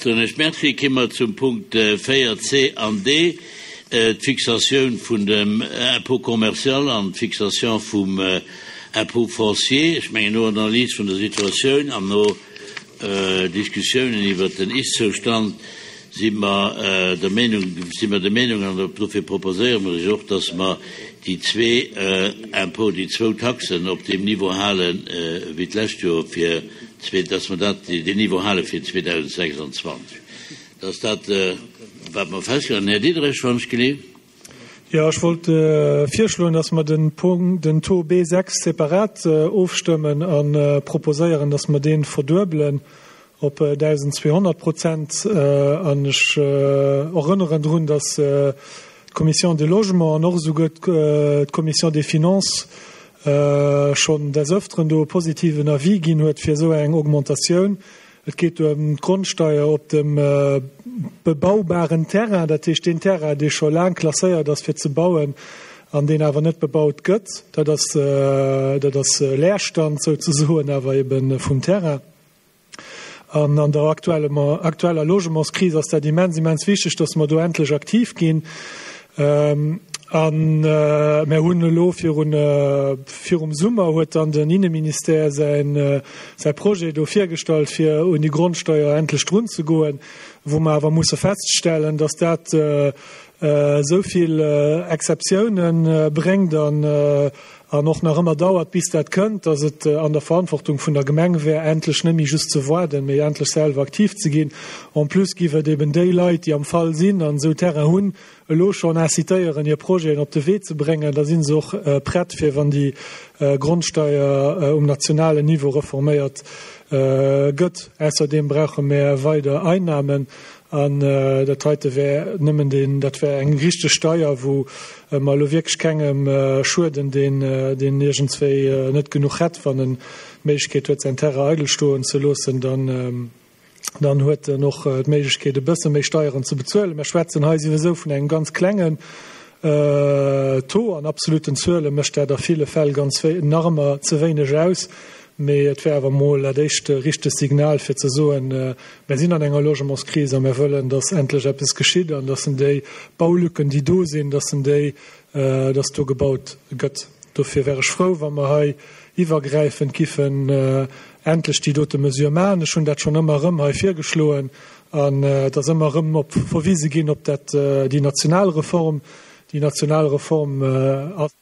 Ech soen Iech Merci. Ki mer zum Punkt 4 c an d, d'Fixatioun vun dem Impôt commercial an d'Fixation vum Impôt foncier. Ech mengen, no Analys vun der Situatioun an no Diskussiounen iwwert den Ist-Zoustand si mer der Meenung, si mer der Meenung, an dofir proposéiere mer lech och, dass mer déi zwee Impôts, déi zwou Taxen op deem Niveau hale wéi d'lescht Joer, fir dass mer dat, deen Niveau hale fir 2026. Dat ass dat, wat mer festgehalten hunn. Här Diderich, wann ech geleeft. Jo, ech wollt virschloen, dass mer den Punkt, den Taux B6 separat ofstëmmen a proposéieren, dass mer dee verduebelen op 1.200 Prozent. An ech erënneren drun, dass d'Commission du Logement an och esouguer d'Commission des Finances schonn des Öfteren do e positiven Avis ginn huet fir esou eng Augmentatioun. Et geet do ëm d'Grondsteier op dem bebaubaren Terrain, dat heescht deen Terrain, dee scho laang klasséiert ass fir ze bauen an deen awer net bebaut gëtt. Dat ass, dat ass Leerstand souzesoen, awer ebe vum Terrain. An an der aktueller Logementskris ass dat immens, immens wichteg, dass mer do endlech aktiv ginn. A mär hunn elo virun, virum Summer huet dann den Inneministère säin, säi Projet do virgestallt, fir un déi Grondsteuer endlech drunzegoen, wou mer awer musse feststellen, dass dat esou vill Exceptiounen bréngt an, an och nach ëmmer dauert, bis dat kënnt, dass et an der Verantwortung vun der Gemeng wär, endlech net méi just ze waarden, mee endlech selwer aktiv ze ginn. En plus giff et eben déi Leit, déi am Fall sinn an esou Terrain hunn, elo schonn incitéieren, hir Projeten op de Wee ze bréngen, da si se och prett, fir wann déi Grondsteier um nationalen Niveau reforméiert gëtt. Ausserdeem brauche mär weider Einnahmen an dat heite wär nëmmen deen, dat wär eng richteg Steier, wou mer elo wierklech kengem schueden, deen, deen iergendswéi net genuch hätt, wann en d'Méiglechkeet huet, säin Terrain eidel stoen ze loossen, dann. Dann huet en och d'Méiglechkeet, e bësse méi Steieren ze bezuelen. Mer schwätzen hei souwisou vun engem ganz klengen Taux. An absoluten Zuele mécht dat a ville Fäll ganz nach ëmmer ze wéineg aus. Mee et wär awer emol dat éischt richteg Signal, fir ze soen, Mer sinn an enger Logementskris a mer wëllen, dass endlech eppes geschitt an dass en déi Baulücken, déi do sinn, dass en déi, dass do gebaut gëtt. Dofir wär ech frou, wa mer hei iwwergräifend giffen endlech déi dote Mesure maachen. Ech hunn dat schonn ëmmer erëm hei virgeschloen an et ass ëmmer erëm op verwise ginn op dat, déi national Reform. Déi national Reform ass,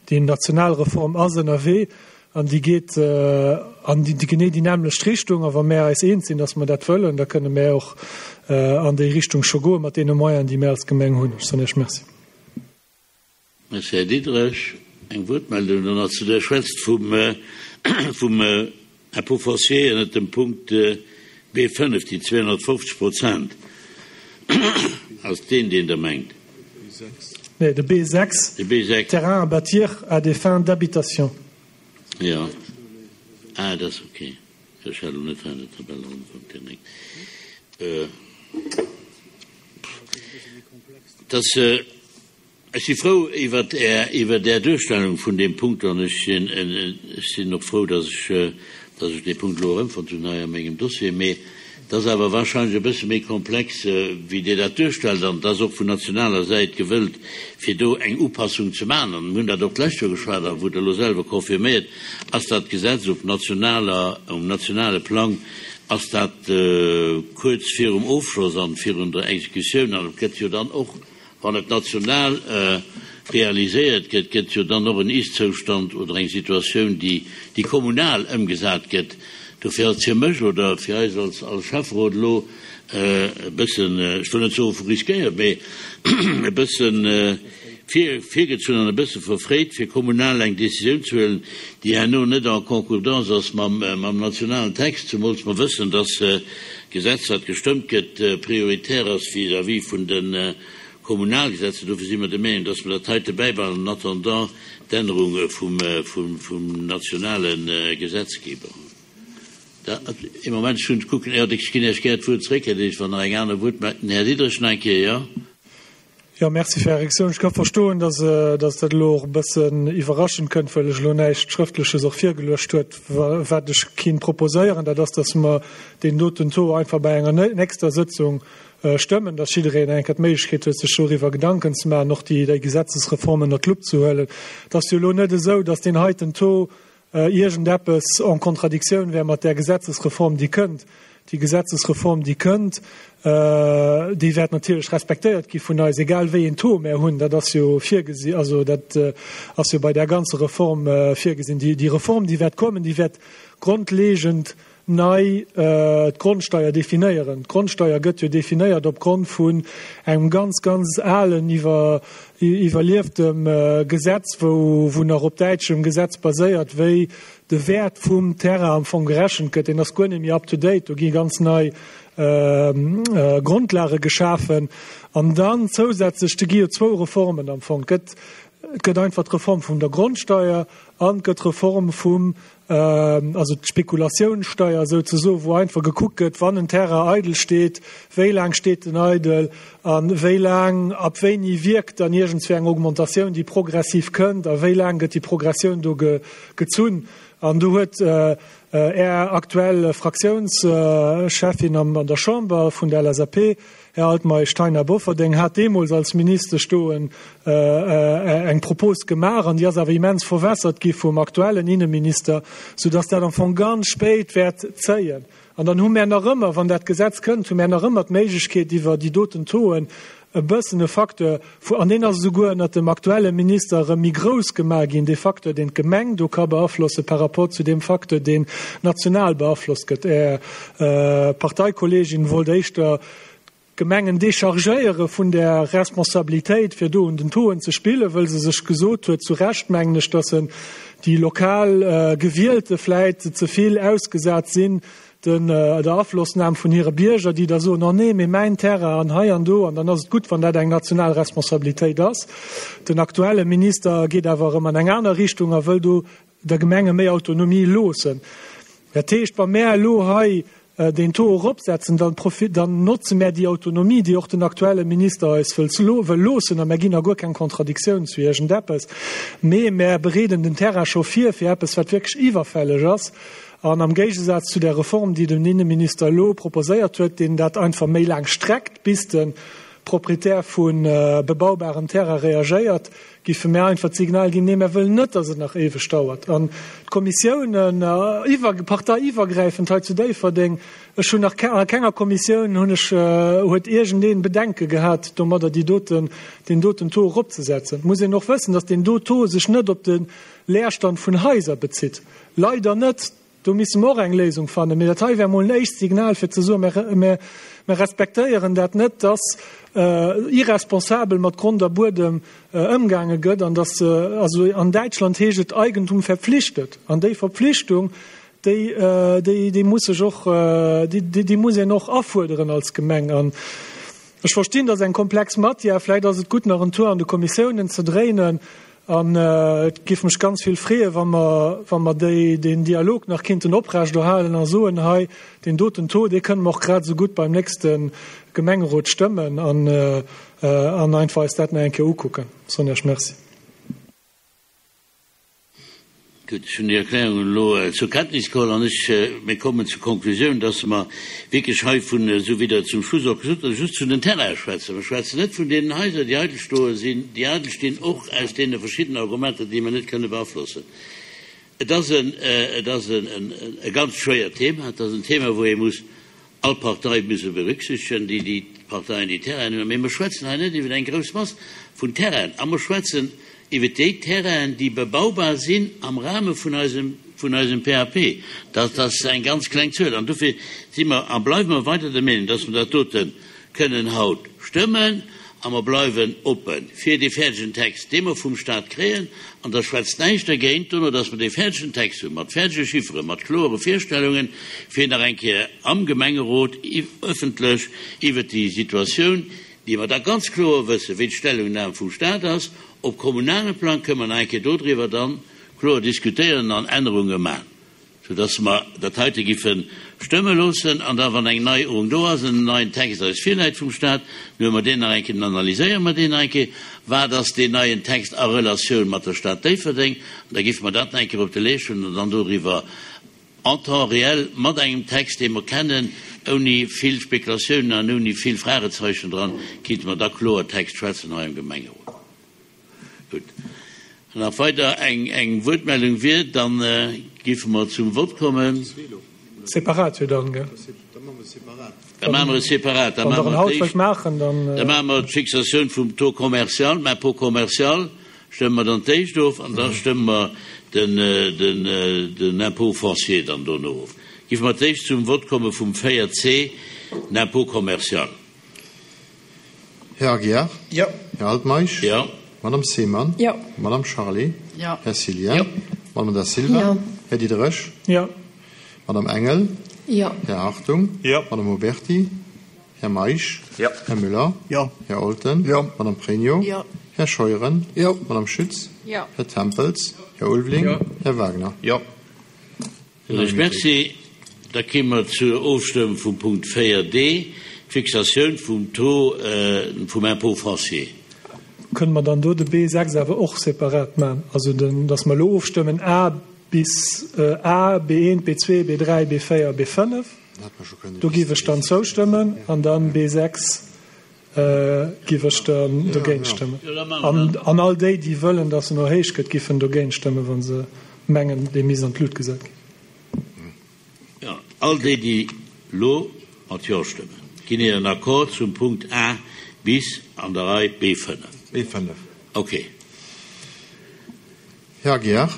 déi national Reform ass ënnerwee an déi geet an déi genee déi nämmlecht Richtung. A wa mär eis eens sinn, datt mer dat wëllen, da kënne mär och an déi Richtung scho goe mat deene Moyenen, déi mär als Gemeng hunn. Ech soen Iech Merci. Merci, Här Diderich. Eng Wuertmeldung dann nach zu der schwätzt vum vum Impôt foncier ënnert dem Punkt B5, déi 250 Prozent. Ass deen, deen Der mengt? Nee, de B6, De B6. Terrain à bâtir à des fins d'habitation. Jo. Ah, dat ass okay. Ech hat elo net hei an der Tabell erëmfonnt, Här Ney. Dass. Ech si frou iwwert Är, iwwert Är Duerstellung vun deem Punkt an ech sinn, ech sinn och frou, dass ech, dass ech dee Punkt elo erëmfonnt hunn hei a mengem Dossier. Mee et ass awer wahrscheinlech e bësse méi komplex, wéi Dir dat duerstellt an et ass och vun nationaler Säit gewëllt, fir do eng Upassung ze maachen. An mir hunn dat och d'lescht Joer geschwat a wou Der elo selwer confirméiert, ass dat Gesetz op nationaler, um nationale Plang ass dat kuerz virum Ofschloss an virun der Exekutioun an et gëtt jo dann och, Wann et national realiséiert gëtt, gëtt jo dann och en Ist-Zoustand oder eng Situatioun, déi, déi kommunal ëmgesat gëtt. Dofir ass et fir mech oder fir eis als, als Schäfferot elo e bëssen, ech wëll net soe vu riskéiert, mee e bëssen vir, virgezunn an e bësse verfréit, fir kommunal eng Décisioun ze huelen, déi herno net en concordance ass mam, mam nationalen Text, zumools mer wëssen, dass Gesetz, wat gestëmmt gëtt, prioritär ass vis-à-vis vun de Kommunalgesetzer. Dofir si mer der Meenung, dass mer dat heite bäibehalen en attendant d'Ännerung vum nationale Gesetzgeber. Ee Moment, ech hunn, kucken, jo, ech ginn Iech gär d'Wuert zréck, Här Diderich, wann nach eng aner Wuertmeldung. Den Här Diderich nach eng Kéier, jo. Jo, Merci fir Är Reaktioun. Ech ka verstoen, dass dass dat elo och e bëssen iwwerraschend kënnt, well ech elo näischt Schrëftleches och virgeluecht huet. Wat ech kinnt proposéieren, dat ass, dass mer deen doten Taux einfach bei enger nächster Sëtzung stëmmen, dass jiddereen eng Kéier d'Méiglechkeet huet, sech doriwwer Gedanken ze maachen, och déi déi Gesetzesreform ënnert d'Lupp ze huelen. Et ass jo elo net esou, dass deen heiten Taux iergendeppes en Contradictioun wär mat där Gesetzesreform, déi kënnt. Déi Gesetzesreform, déi kënnt, déi wäert natierlech respektéiert gi vun eis, egal wéi een Taux mär hunn. Dat ass jo virgesi, also dat ass jo bei där ganzer Reform virgesinn. Déi Reform, déi wäert kommen, déi wäert grondlegend nei d'Grondsteier definéieren. D'Grondsteier gëtt jo definéiert opgrond vun engem ganz, ganz alen, iwwer, iwwerlieftem Gesetz, wou, wou nach op däitschem Gesetz baséiert, wéi de Wäert vum Terrain am Fong gerechent gëtt. Deen ass guer net méi up to date. Do gi ganz nei Grondlage geschafen. An dann zousätzlech, do gi jo zwou Reformen am Fong. Et gëtt, et gëtt einfach d'Reform vun der Grondsteier an et gëtt d'Reform vum also d'Spekulatiounssteier souzesoen, wou einfach gekuckt gëtt, wann en Terrain eidel steet, wéi laang steet en eidel a wéi laang, ab wéini wierkt dann iergendswéi eng Augmentatioun, déi progressiv kënnt a wéi laang gëtt déi Progressioun do gezunn. An do huet Är aktuell Fraktiounscheffin an der Chamber vun der LSAP, Här Altmeisch, d'Taina Bofferding hat deemools als Ministesch do eng Propos gemaach an déi ass awer immens verwässert gi vum aktuellen Inneminister, soudass dat am Fong ganz spéit wäert zéien. An dann hu mär nach ëmmer, wann dat Gesetz kënnt, hu mär nach ëmmer d'Méiglechkeet iwwer déi doten Tauxen e bëssen e Facteur, an deen ass esouguer ënnert dem aktuelle Minister erëm méi grouss gemaach ginn, dee Facteur, deen d'Gemeng do ka beaflosse par rapport zu deem Facteur, deen national beaflosst gëtt. Är Parteikolleegin wollt éischter d'Gemengen déchargéiere vun där Responsabilitéit, fir do un den Tauxen ze spillen, wëll se sech gesot huet, zu Recht mengen ech, dass déi lokal Gewielte vläit ze vill ausgesat sinn der Aflossnam vun hire Bierger, déi da soen, oh nee, mee mäin Terrain an hei an do, an dann ass et gutt, wann dat eng national Responsabilitéit ass. Den aktuelle Minister geet awer erëm an eng aner Richtung a wëll do der Gemenge méi Autonomie loossen. Dat heescht, wa mär elo hei deen Taux eropsetzen, dann dann notze mär déi Autonomie, déi och den aktuelle Minister eis wëll wëll loossen, a mär ginn a guer keng Contradictioun zu iergendeppes, mee mär bereeden den Terrain scho vir fir eppes, wat wierklech iwwerfälleg ass. An am Géigesaz zu där Reform, déi den Inneminister elo proposéiert huet, deen dat einfach méi laang streckt, bis de Proprietär vu bebaubarem Terrain reagéiert, Géife mär einfach d'Signal ginn, Nee, mär wëllen net, datt et nach éiweg dauert. An d'Kommissiounen, iwwer, parteiiwwergräifend hei zu Déifferdeng, ech hunn nach a kenger Kommissioun hunn ech, huet iergendeen Bedenke gehat domadder, déi doten, deen doten Taux eropzesetzen. Et muss een och wëssen, datt deen do Taux sech net op de Leerstand vun Haiser bezitt. Leider net. Do misse mer och eng Léisung fannen. Mee dat hei wär emol en éischt Signal, fir ze soen, Mir, mir respektéieren dat net, dass irresponsabel mat Grond a Buedem ëmgaange gëtt an dass, also an Däitschland heescht et Eigentum verpflichtet. An déi Verpflichtung, déi, déi, déi muss sech och, déi, déi muss een och afuerderen als Gemeng. An ech verstinn, dat ass eng komplex Matière. Vläicht ass et gutt, nach en Tour an de Kommissiounen ze dréinen. An et géif mech ganz vill freeën, wa mer, wa mer déi, deen Dialog nach kinnten oprechterhalen a soen, hei, deen doten Taux, dee kënne mer och grad esou gutt beim nächste Gemengerot stëmmen an, an einfach eis dat nach eng Kéier ukucken. Soen Iech Merci. Gutt, ech hunn déi Erklärungen elo zur Kenntnis geholl an ech, mir kommen zur Konklusioun, dass mer wierklech hei vun, esou wéi Der et zum Schluss och gesot hutt, just vun den Terraine schwätzen. Mer schwätzen net vun deenen Haiser, déi eidel stoe sinn, déi eidel stinn, och aus deene verschiddenen Argumenter, déi mer net kënne beaflossen. Et ass en, et ass en, e ganz schwéiert Thema. Et ass en Thema, wou ee muss all Partei musse berücksichtegen, déi déi Parteien déi Terrainen hunn. Mee mer schwätzen hei net iwwer eng grouss Mass vun Terrainen a mer schwätzen iwwer déi Terrainen, déi bebaubar sinn am Rahme vun eisem, vun eisem PAP. Dat ass eng ganz kleng Zuel. An dofir si mer a bleiwe mer weider der Meenung, dass mer dat dote kënnen haut stëmmen a mer bleiwen oppe fir dee fäerdegen Text, dee mer vum Stat kréien. An da schwätzt näischt dergéint dono, dass mer dee fäerdegen Text hunn, mat fäerdege Chifferen, mat kloere Virstellungen, fir nach eng Kéier am Gemengerot ëffentlech iwwert déi Situatioun, déi mer da ganz kloer wëssen, wéi d'Stellungnam vum Stat ass, op kommunalem Plang kënnen mer nach eng Kéier dodriwwer dann kloer diskutéieren an Ännerunge maachen. Soudass mer dat heite giffe stëmme loossen an da, wann eng Neierung do ass, en neien Text eis virläit vum Stat, dann huele mer deen nach eng Kéier, dann analyséiere mer deen nach eng Kéier, wat ass deen neien Text a Relatioun mat der Stad Déifferdeng, an da giffe mer dat nach eng Kéier op de Leescht huelen an dann doriwwer en temps réel mat engem Text, dee mer kennen, ouni vill Spekulatiounen an ouni vill Fragezeichen dran, kinnte mer da Kloertext schwätzen hei am Gemengerot. Gutt. Wann nach weider eng Wuertmeldung wier, da géife mer zum Vott kommen. Separat jo dann, gell? Da maache mer et separat. Wann Der en haut wëllt maachen, dann. Da maache mer d'Fixatioun vum Taux commercial, dem Impôt commercial, stëmme mer dann d'éischt of an da stëmme mer den Impôt foncier dann dono of. Géife mer d'éischt zum Vott komme vum 4C, den Impôt commercial. Här Aguiar? Jo. Här Altmeisch? Jo. Madame Seemann? Jo. Madame Charlé? Jo. Här Cillien? Jo. Madame Da Silva? Jo. Här Diderich? Jo. Madame Engel? Jo. Här Hartung? Jo. Madame Oberti? Här Meisch? Jo. Här Müller? Jo. Här Olten? Jo. Madame Pregno? Jo. Här Scheuren? Jo. Madame Schütz? Jo. Här Tempels? Här Ulveling? Jo. Här Wagner? Jo. Ech merci. Da kéime mer zur Ofstëmmung vum Punkt 4d, d'Fixatioun vum Taux vum Impôt foncier. Kënne mer dann do de B6 awer och separat maachen? Also den, dass mer elo ofstëmmen A bis A, B1, B2, B3, B4, B5, do géif ech dann zoustëmmen, an dann B6 Giff ech dann dogéint stëmmen. An all déi, déi wëllen, dass en erhéicht gëtt, giffen dogéint stëmmen, wa se mengen, dee misst an d'Lut gesat ginn. Jo, all déi, déi elo mat Jo stëmmen, ginn hiren Accord zum Punkt A bis an der Rei B5. B5. Okay. Här Aguiar?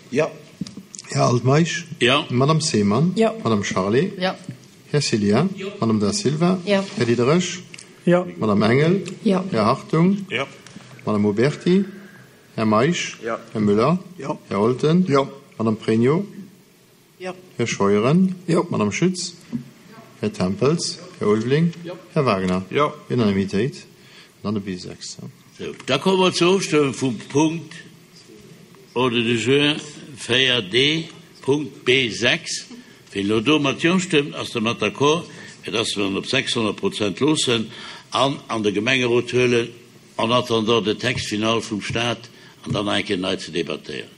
Jo. Här Altmeisch? Jo. Madame Seemann? Jo. Madame Charlé? Jo. Här Cillien? Jo. Madame Da Silva? Jo. Här Diderich? Jo. Madame Engel? Jo. Här Hartung? Jo. Madame Oberti? Här Meisch? Jo. Här Müller? Jo. Här Olten? Jo. Madame Pregno? Jo. Här Scheuren? Jo. Madame Schütz? Här Tempels? Här Ulveling? Jo. Här Wagner? Jo. Unanimitéit. An dann de B6. Sou, da komme mer zur Ofstëmmung vum Punkt Ordre du jour 4D, Punkt B6. Wien elo do mat Jo stëmmt, ass dermat d'accord, fir dass mer en op 600 Prozent loossen an an de Gemengerot huelen, en attendant de Text final vum Stat an dann nach eng Kéier nei ze debattéieren.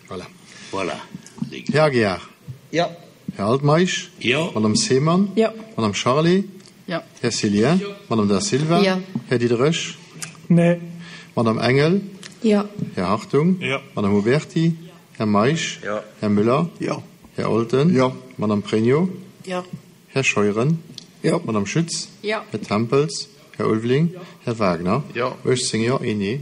Voilà. Voilà. Här Aguiar. Jo. Här Altmeisch. Jo. Madame Seemann. Jo. Madame Charlé. Jo. Här Cillien. Jo. Madame Da Silva. Jo. Här Diderich. Nee. Madame Engel. Jo. Här Hartung. Jo. Madame Oberti. Här Meisch. Jo. Här Müller. Jo. Här Olten. Jo. Madame Pregno. Jo. Här Scheuren. Jo. Madame Schütz. Jo. Här Tempels. Här Ulveling. Jo. Här Wagner. Jo. 18 Jo, een Nee.